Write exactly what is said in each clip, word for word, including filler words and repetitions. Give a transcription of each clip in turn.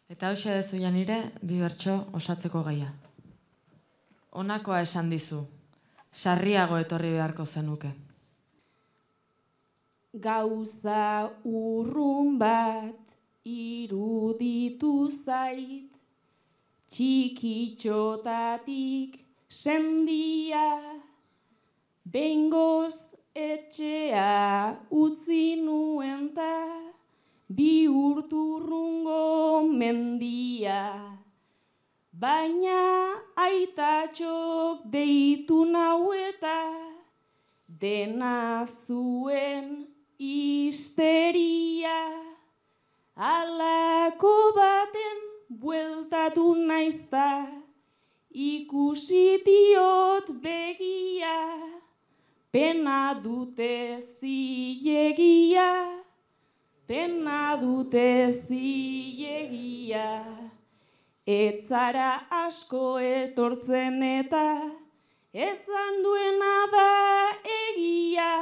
Eta hoxe dezu janire, bi bertso osatzeko gaia. Honakoa esan dizu, sarriago etorri beharko zenuke. Gauza urrun bat iruditu zait, txikitxotatik sendia, behingoz etxea utzi nuen ta, bi urturrungo mendia. Baina aitatxok deitu nau eta, dena zuen histeria. Halako baten bueltatu naizta, ikusi diot begia, pena dute zilegia, pena dute zilegia. Ez zara asko etortzen eta, ezan duena da egia,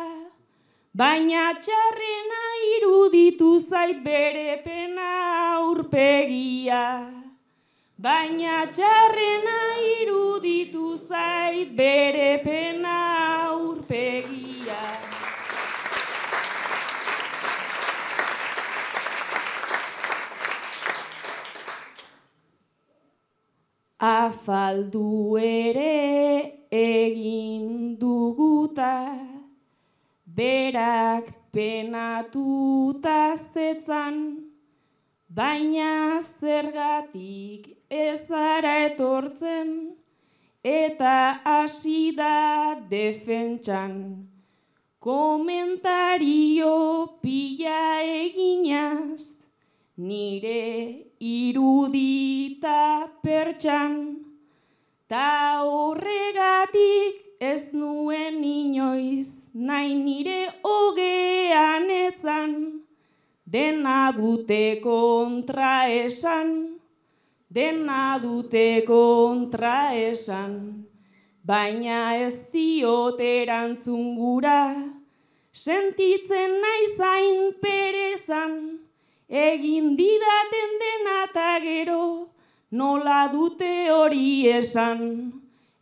baina txarrena iruditu zait bere pena aurpegia. Baina txarrena iruditu zait bere pena aurpegia. Afaldu ere egin duguta, berak penatuta zetzan, baina zergatik ez zara etortzen, eta hasi da defentsan. Komentario pila eginaz, nire irudita pertsan, ta horregatik ez nuen inoiz, nahi nire hogean etzan, dena dute kontra esan, dena dute kontra esan, baina ez diot erantzun gura, sentitzen naiz hain perezan, egin didaten dena eta gero, nola dute hori esan.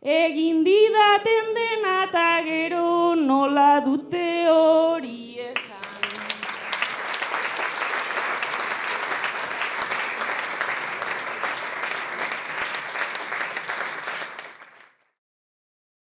Egin didaten dena eta gero, nola dute